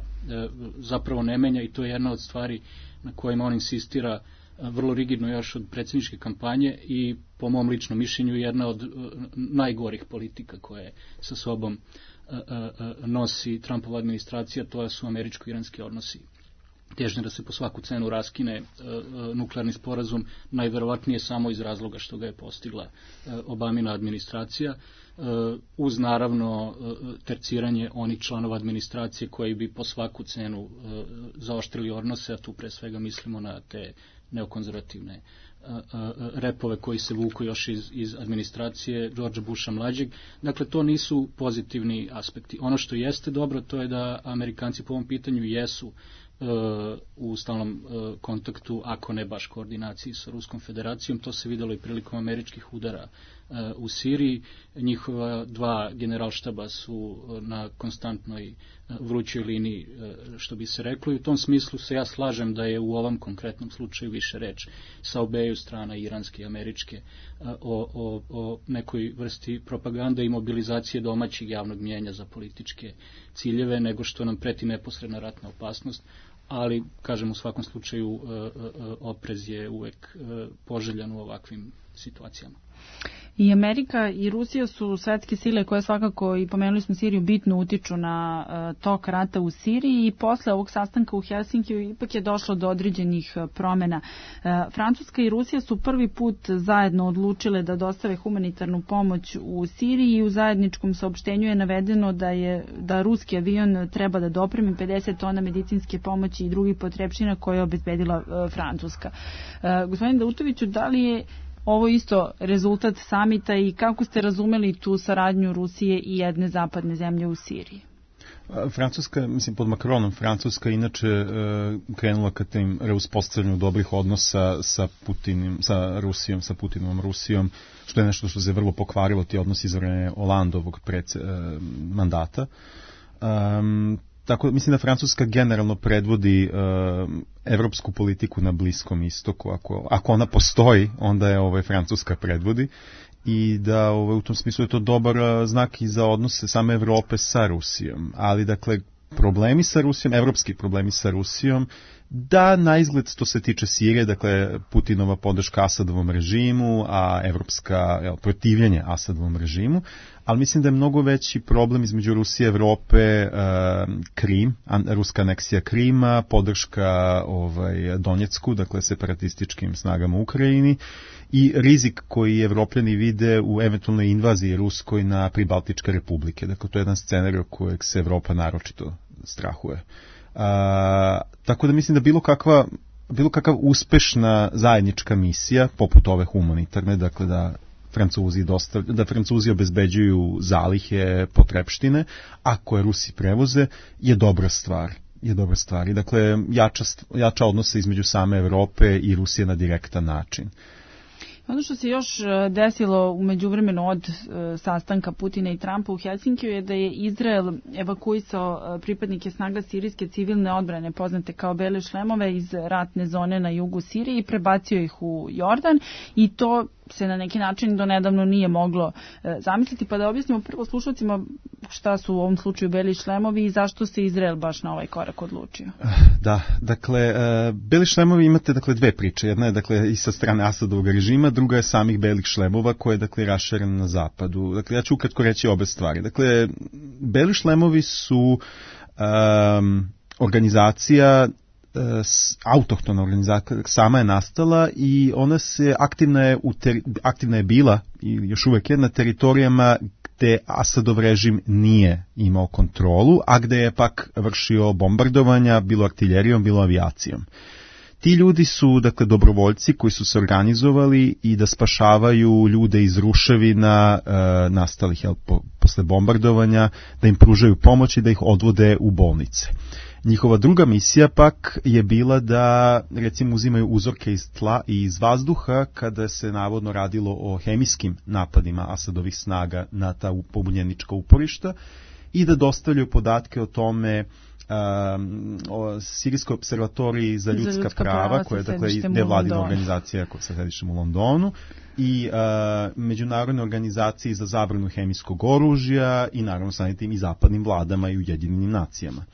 zapravo ne menja i to je jedna od stvari na kojima on insistira vrlo rigidno još od predsjedničke kampanje i po mom ličnom mišljenju jedna od najgorih politika koje sa sobom nosi Trumpova administracija, to su američko-iranski odnosi. Težnje da se po svaku cenu raskine nuklearni sporazum, najverovatnije samo iz razloga što ga je postigla Obamina administracija, uz naravno terciranje onih članova administracije koji bi po svaku cenu zaoštrili odnose, a tu pre svega mislimo na te neokonzervativne repove koji se vuku još iz administracije Georgea Busha mlađeg. Dakle, to nisu pozitivni aspekti. Ono što jeste dobro, to je da Amerikanci po ovom pitanju jesu u stalnom kontaktu, ako ne baš koordinaciji sa Ruskom federacijom. To se videlo i prilikom američkih udara u Siriji. Njihova dva generalštaba su na konstantnoj vrućoj liniji, što bi se reklo, i u tom smislu se ja slažem da je u ovom konkretnom slučaju više reč sa obeju strana, iranske i američke, o nekoj vrsti propagande i mobilizacije domaćeg javnog mnijenja za političke ciljeve, nego što nam preti neposredna ratna opasnost. Ali, kažem, u svakom slučaju oprez je uvek poželjan u ovakvim situacijama. I Amerika i Rusija su svetske sile koje svakako, i pomenuli smo Siriju, bitno utiču na tok rata u Siriji i posle ovog sastanka u Helsinkiju ipak je došlo do određenih promjena. Francuska i Rusija su prvi put zajedno odlučile da dostave humanitarnu pomoć u Siriji i u zajedničkom saopštenju je navedeno da ruski avion treba da dopremi 50 tona medicinske pomoći i drugih potrepština koje je obezbedila Francuska. Gospodin Dautoviću, da li je ovo isto rezultat samita i kako ste razumeli tu saradnju Rusije i jedne zapadne zemlje u Siriji? Francuska, mislim pod Macronom, Francuska inače krenula ka tim reuspostavljanju dobrih odnosa sa Rusijom, sa Putinovom Rusijom, što je nešto što se vrlo pokvarilo, ti odnosi iz vremena Hollandovog mandata. Tako mislim da Francuska generalno predvodi evropsku politiku na Bliskom istoku. Ako ona postoji, onda je Francuska predvodi i da u tom smislu je to dobar znak i za odnose same Evrope sa Rusijom. Ali dakle, problemi sa Rusijom, evropski problemi sa Rusijom, da na izgled što se tiče Sirije, dakle Putinova podrška Asadovom režimu, a evropska protivljenje Asadovom režimu, ali mislim da je mnogo veći problem između Rusije i Evrope Krim, ruska aneksija Krima, podrška Donjecku, dakle separatističkim snagama u Ukrajini i rizik koji Evropljani vide u eventualnoj invaziji ruskoj na pribaltičke republike. Dakle, to je jedan scenarij kojeg se Evropa naročito strahuje. Tako da mislim da bilo kakva uspešna zajednička misija, poput ove humanitarne, dakle da Francuzi obezbeđuju zalihe, potrepštine, a koje Rusi prevoze, je dobra stvar. I dakle, jača odnose između same Evrope i Rusije na direktan način. Ono što se još desilo u međuvremenu od sastanka Putina i Trumpa u Helsinkiju je da je Izrael evakuisao pripadnike snaga sirijske civilne odbrane, poznate kao bele šlemove, iz ratne zone na jugu Sirije i prebacio ih u Jordan i to se na neki način do nedavno nije moglo zamisliti, pa da objasnimo prvo slušalcima šta su u ovom slučaju beli šlemovi i zašto se Izrael baš na ovaj korak odlučio. Da, dakle, beli šlemovi imate dakle dve priče. Jedna je dakle i sa strane Asadovog režima, druga je samih belih šlemova koje je dakle raširena na zapadu. Dakle, ja ću ukratko reći obe stvari. Dakle, beli šlemovi su organizacija autohtona organizacija, sama je nastala i ona se aktivna je bila i još uvek je na teritorijama gde Asadov režim nije imao kontrolu, a gde je pak vršio bombardovanja, bilo artiljerijom, bilo avijacijom. Ti ljudi su, dakle, dobrovoljci koji su se organizovali i da spašavaju ljude iz ruševina nastalih posle bombardovanja, da im pružaju pomoć i da ih odvode u bolnice. Njihova druga misija pak je bila da, recimo, uzimaju uzorke iz tla i iz vazduha kada se navodno radilo o hemijskim napadima Asadovih snaga na ta pobunjenička uporišta i da dostavljaju podatke o tome o Sirijskoj observatoriji za ljudska prava, koja je, dakle, nevladina organizacija sa sedištem u Londonu, i međunarodne organizacije za zabranu hemijskog oružja i naravno samim tim i zapadnim vladama i Ujedinjenim nacijama.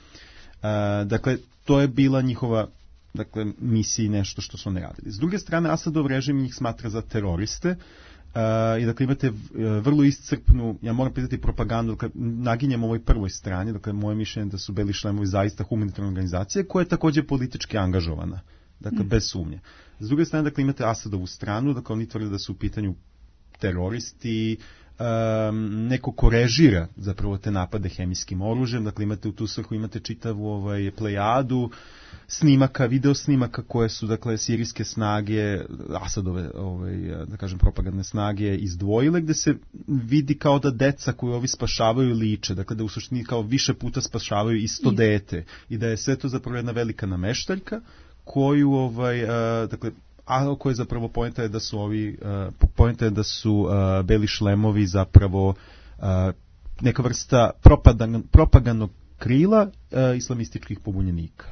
Dakle, to je bila njihova, dakle, misija i nešto što su oni radili. S druge strane, Asadov režim njih smatra za teroriste i, dakle, imate vrlo iscrpnu, ja moram pitati, propagandu, dakle, naginjem ovoj prvoj strani, dakle, moje mišljenje da su Beli šlemovi zaista humanitarna organizacija koja je također politički angažovana, dakle, bez sumnje. S druge strane, dakle, imate Asadovu stranu, dakle, oni tvrde da su u pitanju teroristi, neko ko režira zapravo te napade hemijskim oružjem, dakle, imate u tu svrhu, imate čitavu plejadu snimaka, video snimaka koje su, dakle, sirijske snage, Asadove, da kažem, propagandne snage izdvojile, gde se vidi kao da deca koju ovi spašavaju liče, dakle, da u suštini kao više puta spašavaju isto dete i da je sve to zapravo jedna velika nameštaljka koju, dakle, a koje zapravo poenta je da su Beli šlemovi zapravo neka vrsta propagandnog krila islamističkih pobunjenika.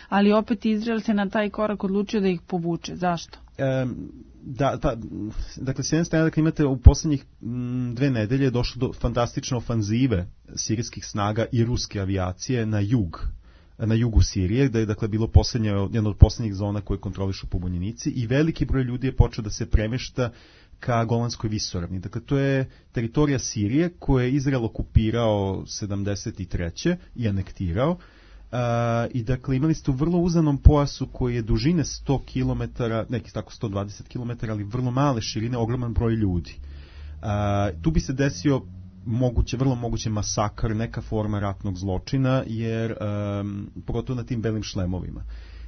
Ali opet Izrael se na taj korak odlučio da ih povuče. Zašto? Dakle, s jedne strane, dakle, imate u posljednjih 2 nedelje došlo do fantastične ofanzive sirijskih snaga i ruske avijacije na jugu Sirije, gde je, dakle, bilo jedna od posljednjih zona koje kontrolišu pobunjenici i veliki broj ljudi je počeo da se premešta ka Golanskoj visoravni. Dakle, to je teritorija Sirije koje je Izrael okupirao 73. i anektirao. I, dakle, imali ste u vrlo uzanom pojasu koji je dužine 100 km, neki tako 120 km, ali vrlo male širine, ogroman broj ljudi. Tu bi se desio vrlo moguće masakr, neka forma ratnog zločina, jer pogotovo na tim belim šlemovima.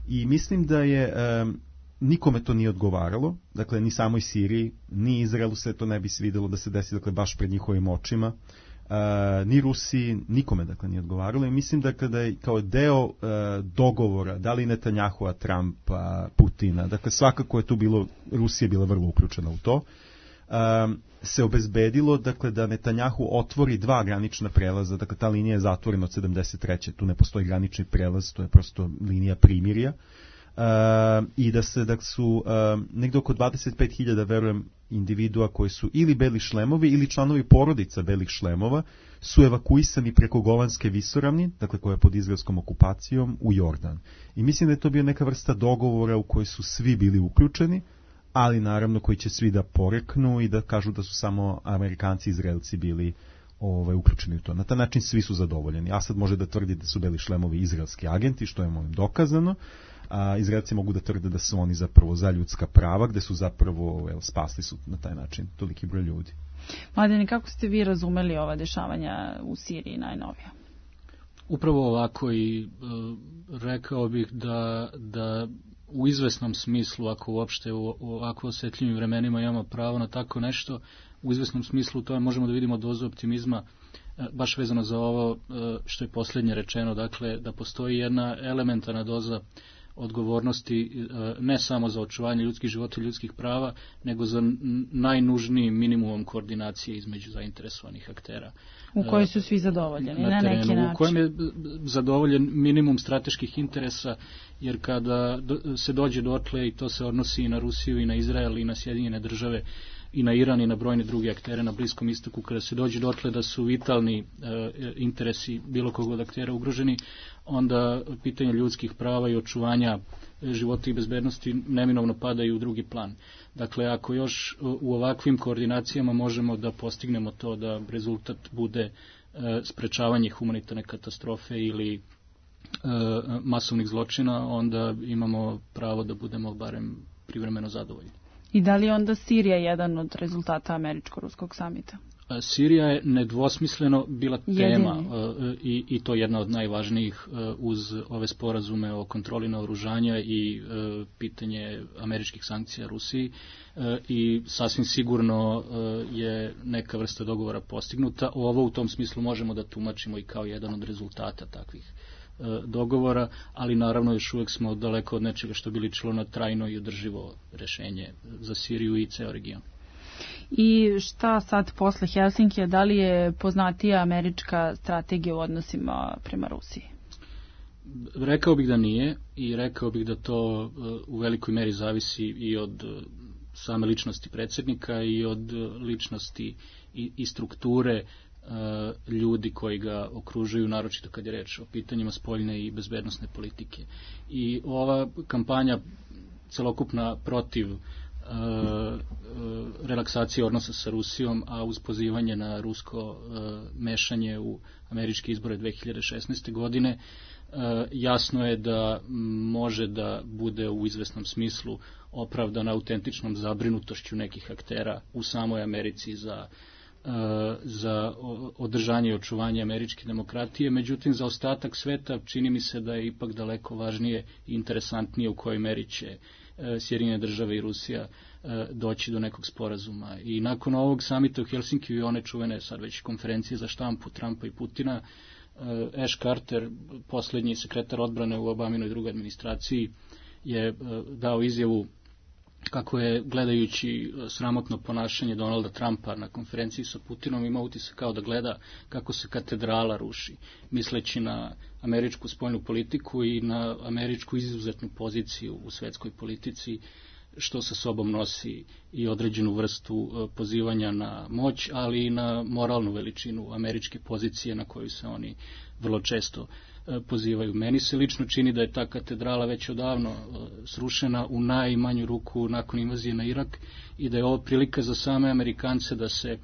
I mislim da je nikome to nije odgovaralo, dakle, ni samoj Siriji, ni Izraelu se to ne bi svidelo da se desi, dakle, baš pred njihovim očima, ni Rusiji, nikome, dakle, nije odgovaralo i mislim da kada je kao deo dogovora, da li Netanjahua, Trumpa, Putina, dakle, svakako je tu bilo, Rusija je bila vrlo uključena u to, se obezbedilo, dakle, da Netanjahu otvori 2 granična prelaza, dakle, ta linija je zatvorena od 73. Tu ne postoji granični prelaz, to je prosto linija primirja, i da su negdje oko 25.000, verujem, individua koji su ili beli šlemovi ili članovi porodica belih šlemova su evakuisani preko Golanske visoravni, dakle, koja je pod izraelskom okupacijom, u Jordan. I mislim da je to bio neka vrsta dogovora u kojoj su svi bili uključeni, ali naravno koji će svi da poreknu i da kažu da su samo Amerikanci i Izraelci bili uključeni u to. Na taj način svi su zadovoljeni. Asad može da tvrdi da su beli šlemovi izraelski agenti, što je dokazano, a Izraelci mogu da tvrde da su oni zapravo za ljudska prava, gde su zapravo spasli su na taj način toliki broj ljudi. Mladene, kako ste vi razumeli ova dešavanja u Siriji najnovija? Upravo ovako i rekao bih da u izvesnom smislu, ako uopšte u ovako osjetljivim vremenima imamo pravo na tako nešto, u izvesnom smislu to možemo da vidimo dozu optimizma, baš vezano za ovo što je posljednje rečeno, dakle, da postoji jedna elementarna doza odgovornosti ne samo za očuvanje ljudskih života i ljudskih prava, nego za najnužniji minimum koordinacije između zainteresovanih aktera. U kojoj su svi zadovoljeni, na neki način. U kojem je zadovoljen minimum strateških interesa, jer kada se dođe dotle, i to se odnosi i na Rusiju, i na Izrael, i na Sjedinjene države, i na Iran, i na brojne druge aktere na Bliskom istoku, kada se dođe dotle da su vitalni interesi bilo kog od aktera ugroženi, onda pitanje ljudskih prava i očuvanja života i bezbednosti neminovno padaju u drugi plan. Dakle, ako još u ovakvim koordinacijama možemo da postignemo to da rezultat bude sprečavanje humanitarne katastrofe ili masovnih zločina, onda imamo pravo da budemo barem privremeno zadovoljni. I da li je onda Sirija jedan od rezultata američko-ruskog samita? Sirija je nedvosmisleno bila tema i to jedna od najvažnijih uz ove sporazume o kontroli naoružanja i pitanje američkih sankcija Rusiji i sasvim sigurno je neka vrsta dogovora postignuta. Ovo u tom smislu možemo da tumačimo i kao jedan od rezultata takvih dogovora, ali naravno još uvijek smo daleko od nečega što bi ličilo na trajno i održivo rešenje za Siriju i ceo region. I šta sad posle Helsinkija, da li je poznatija američka strategija u odnosima prema Rusiji? Rekao bih da nije i rekao bih da to u velikoj meri zavisi i od same ličnosti predsjednika i od ličnosti i strukture ljudi koji ga okružuju, naročito kad je reč o pitanjima spoljne i bezbednosne politike. I ova kampanja celokupna protiv relaksacije odnosa sa Rusijom, a uz pozivanje na rusko mešanje u američke izbore 2016. godine, jasno je da može da bude u izvesnom smislu opravdana autentičnom zabrinutošću nekih aktera u samoj Americi za održanje i očuvanje američke demokratije. Međutim, za ostatak sveta čini mi se da je ipak daleko važnije i interesantnije u kojoj meri će Sjedinjene države i Rusija doći do nekog sporazuma. I nakon ovog samita u Helsinkiju i one čuvene sad već konferencije za štampu Trumpa i Putina, Ash Carter, posljednji sekretar odbrane u Obaminoj drugoj administraciji, je dao izjavu kako je, gledajući sramotno ponašanje Donalda Trumpa na konferenciji sa Putinom, ima utisak kao da gleda kako se katedrala ruši, misleći na američku spoljnu politiku i na američku izuzetnu poziciju u svetskoj politici, što sa sobom nosi i određenu vrstu pozivanja na moć, ali i na moralnu veličinu američke pozicije na koju se oni vrlo često pozivaju. Meni se lično čini da je ta katedrala već odavno srušena, u najmanju ruku nakon invazije na Irak, i da je ovo prilika za same Amerikance da se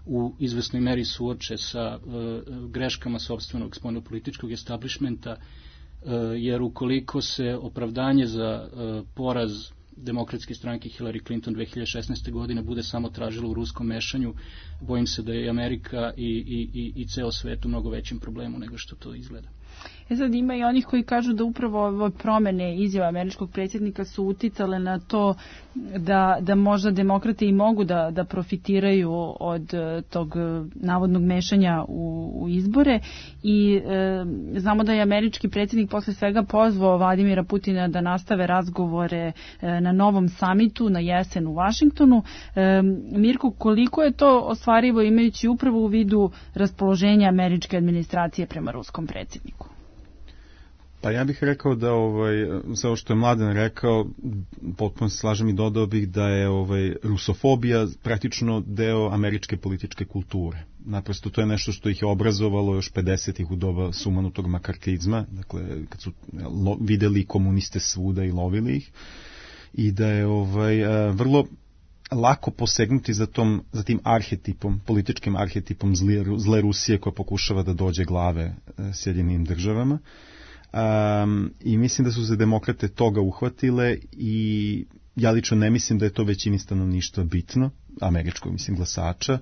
u izvesnoj meri suoče sa greškama sopstvenog spoljnopolitičkog establishmenta, jer ukoliko se opravdanje za poraz Demokratske stranke Hillary Clinton 2016. godine bude samo tražilo u ruskom mešanju, bojim se da je Amerika i ceo svet u mnogo većem problemu nego što to izgleda. Sad ima i onih koji kažu da upravo ove promene izjava američkog predsjednika su uticale na to da možda demokrate i mogu da profitiraju od tog navodnog mešanja u izbore, i znamo da je američki predsjednik posle svega pozvao Vladimira Putina da nastave razgovore na novom samitu na jesen u Vašingtonu. Mirko, koliko je to ostvarivo imajući upravo u vidu raspoloženja američke administracije prema ruskom predsjedniku? Pa ja bih rekao da sve ovo što je Mladen rekao, potpuno se slažem i dodao bih da je rusofobija praktično deo američke političke kulture. Naprosto to je nešto što ih je obrazovalo još 50-ih u doba sumanutog makartizma, dakle kad su videli komuniste svuda i lovili ih, i da je vrlo lako posegnuti za tim arhetipom, političkim arhetipom zle Rusije koja pokušava da dođe glave Sjedinjenim državama. I mislim da su se demokrate toga uhvatile, i ja lično ne mislim da je to većini stanovništva bitno, američkog glasača,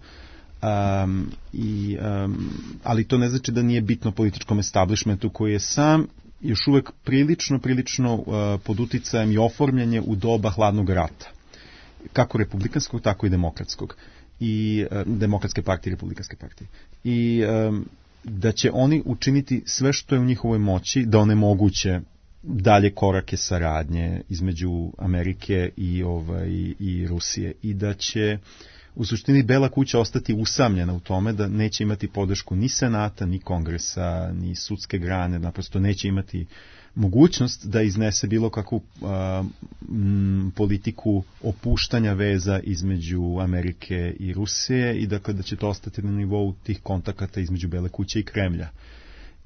ali to ne znači da nije bitno političkom establishmentu koji je sam još uvek prilično pod uticajem i oformljenje u doba hladnog rata, kako republikanskog, tako i demokratskog, i demokratske partije i republikanske partije. I da će oni učiniti sve što je u njihovoj moći da onemoguće dalje korake saradnje između Amerike i Rusije, i da će u suštini Bela kuća ostati usamljena u tome da neće imati podršku ni Senata, ni Kongresa, ni sudske grane, naprosto neće imati mogućnost da iznese bilo kakvu politiku opuštanja veza između Amerike i Rusije, i dakle da će to ostati na nivou tih kontakata između Bele kuće i Kremlja.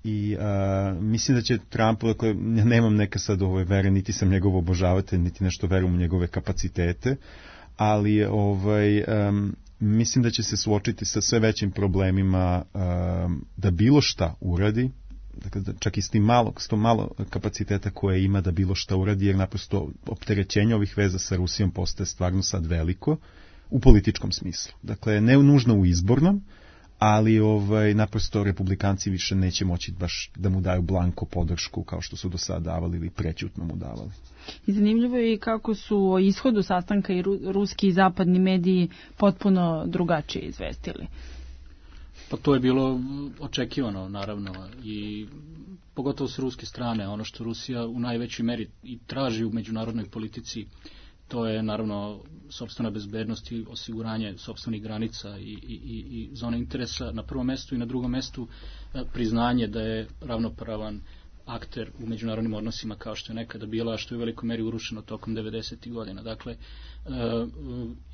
I mislim da će Trump, dakle, ja nemam neka sad vere, niti sam njegov obožavatelj, niti nešto verujem u njegove kapacitete, ali mislim da će se suočiti sa sve većim problemima da bilo šta uradi, Dakle, čak i s tim malo kapaciteta koje ima da bilo šta uradi, jer naprosto opterećenje ovih veza sa Rusijom postaje stvarno sad veliko u političkom smislu. Dakle, ne nužno u izbornom, ali naprosto republikanci više neće moći baš da mu daju blanko podršku kao što su do sada davali ili prećutno mu davali. I zanimljivo je i kako su o ishodu sastanka i ruski i zapadni mediji potpuno drugačije izvestili. Pa to je bilo očekivano, naravno, i pogotovo s ruske strane. Ono što Rusija u najvećoj meri i traži u međunarodnoj politici, to je naravno sopstvena bezbednost i osiguranje sopstvenih granica i zone interesa na prvom mestu, i na drugom mestu priznanje da je ravnopravan akter u međunarodnim odnosima kao što je nekada bila, a što je u velikoj meri urušeno tokom 90. godina. Dakle,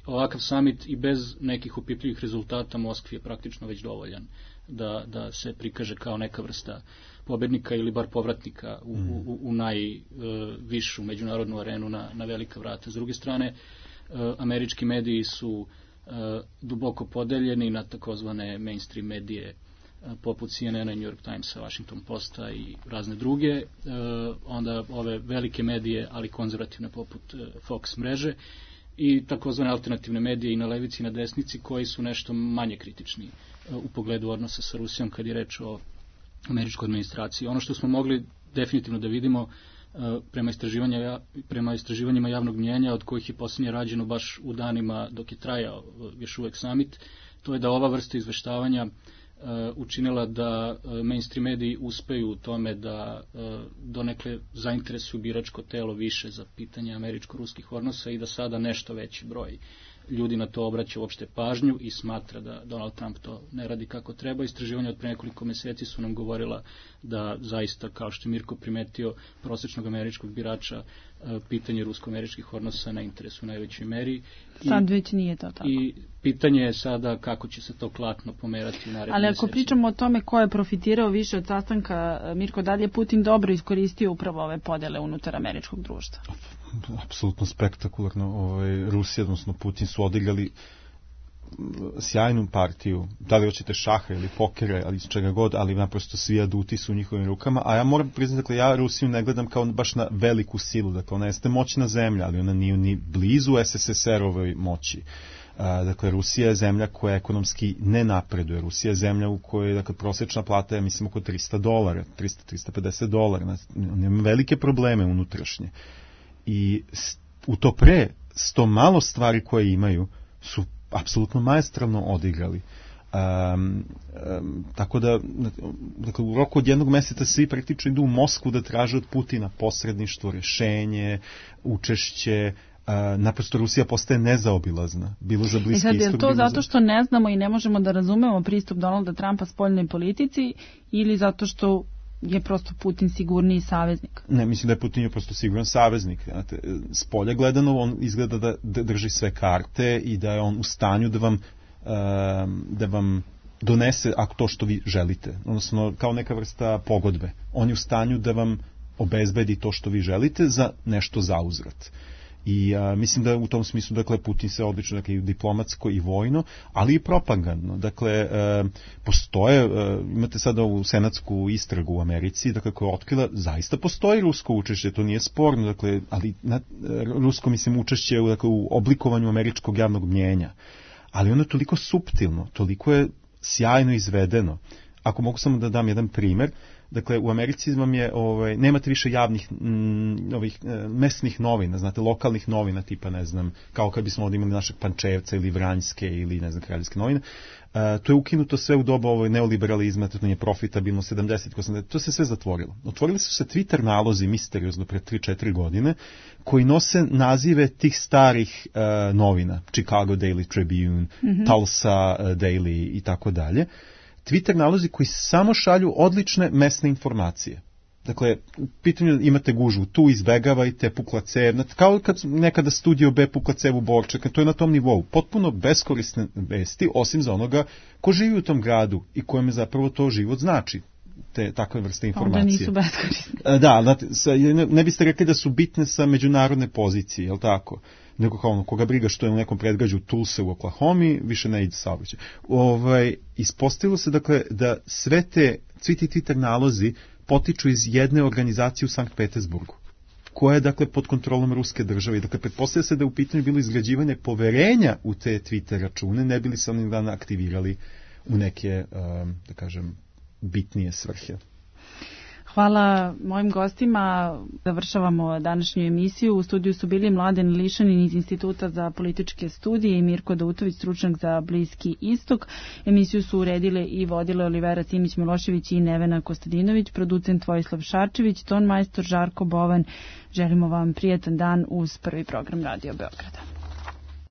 ovakav summit i bez nekih opipljivih rezultata Moskvi je praktično već dovoljan da se prikaže kao neka vrsta pobednika ili bar povratnika u najvišu međunarodnu arenu na velika vrata. S druge strane, američki mediji su duboko podeljeni na takozvane mainstream medije poput CNN-a, New York Timesa, Washington Posta i razne druge, onda ove velike medije, ali konzervativne poput Fox mreže, i takozvane alternativne medije i na levici i na desnici koji su nešto manje kritični u pogledu odnosa sa Rusijom kad je reč o američkoj administraciji. Ono što smo mogli definitivno da vidimo prema istraživanjima javnog mnjenja, od kojih je posljednje rađeno baš u danima dok je trajao još uvek summit, to je da ova vrsta izveštavanja učinila da mainstream mediji uspeju u tome da donekle zainteresuju biračko telo više za pitanje američko-ruskih odnosa i da sada nešto veći broj ljudi na to obraća uopšte pažnju i smatra da Donald Trump to ne radi kako treba. Istraživanja od pre nekoliko meseci su nam govorila da zaista, kao što je Mirko primetio, prosječnog američkog birača pitanje rusko-američkih odnosa ne interesuje u najvećoj meri. Sad već nije to tako. I pitanje je sada kako će se to klatno pomerati u narednim Ali ako mesecima. pričamo o tome ko je profitirao više od sastanka, Mirko, da li je Putin dobro iskoristio upravo ove podele unutar američkog društva? Apsolutno spektakularno. Rusija, odnosno Putin, su odigrali sjajnu partiju, da li hoćete šaha ili pokera ali čega god, ali naprosto svi aduti su u njihovim rukama, a ja moram priznati, dakle, ja Rusiju ne gledam kao baš na veliku silu, dakle ona jeste moćna zemlja, ali ona nije ni blizu SSSR-ovoj moći. Dakle, Rusija je zemlja koja ekonomski ne napreduje. Rusija je zemlja u kojoj, dakle, prosječna plata je, mislim, oko $300, $350. Nema velike probleme unutrašnje. I u to pre, s to malo stvari koje imaju, su apsolutno maestralno odigrali. Tako da, dakle, u roku od jednog meseca svi praktično idu u Moskvu da traže od Putina posredništvo, rješenje, učešće. Naprosto Rusija postaje nezaobilazna, bilo za Bliski istok. Je to zato što ne znamo i ne možemo da razumemo pristup Donalda Trumpa spoljnoj politici, ili zato što je prosto Putin sigurniji saveznik? Ne, mislim da je Putin prosto siguran saveznik. S polja gledano on izgleda da drži sve karte i da je on u stanju da vam donese to što vi želite. Odnosno, kao neka vrsta pogodbe. On je u stanju da vam obezbedi to što vi želite za nešto zauzvrat. I mislim da u tom smislu, dakle, Putin se odlično, dakle, i diplomatsko i vojno, ali i propagandno. Dakle, postoje, imate sada ovu senatsku istragu u Americi, dakle, koja je otkrila, zaista postoji rusko učešće, to nije sporno, dakle, ali rusko, mislim, učešće u oblikovanju američkog javnog mnjenja. Ali ono je toliko suptilno, toliko je sjajno izvedeno. Ako mogu samo da dam jedan primjer, dakle, u Americi vam je, nemate više javnih mesnih novina, znate, lokalnih novina, tipa, ne znam, kao kad bismo ovdje imali našeg Pančevca ili Vranjske ili, ne znam, Kraljevske novine. To je ukinuto sve u doba neoliberalizma, to je profitabilno 70-80, to se sve zatvorilo. Otvorili su se Twitter nalozi misteriozno pre 3-4 godine, koji nose nazive tih starih novina, Chicago Daily Tribune, Tulsa Daily i tako dalje. Twitter nalozi koji samo šalju odlične mesne informacije. Dakle, u pitanju imate gužvu, tu izbegavajte, pukla cev, kao kad nekada Studio B pukla cev u Borček, to je na tom nivou. Potpuno beskorisne vesti, osim za onoga ko živi u tom gradu i kojem je zapravo to život znači. Takve vrste informacije. Onda nisu beskorisne. Da, znate, ne biste rekli da su bitne sa međunarodne pozicije, jel tako? Nego kao ono, koga briga što je u nekom predgrađu Tulsa u Oklahomi, više ne ide saobraćaj. Ispostavilo se, dakle, da svi ti Twitter nalozi potiču iz jedne organizacije u Sankt Petersburgu, koja je dakle pod kontrolom ruske države. Dakle, pretpostavlja se da je u pitanju bilo izgrađivanje poverenja u te Twitter račune, ne bili se oni dana aktivirali u neke, da kažem, bitnije svrhe. Hvala mojim gostima. Završavamo današnju emisiju. U studiju su bili Mladen Lišanin iz Instituta za političke studije i Mirko Dautović, stručnjak za Bliski istok. Emisiju su uredile i vodile Olivera Simić-Milošević i Nevena Kostadinović, producent Vojislav Šarčević, ton majstor Žarko Bovan. Želimo vam prijatan dan uz prvi program Radio Beograda.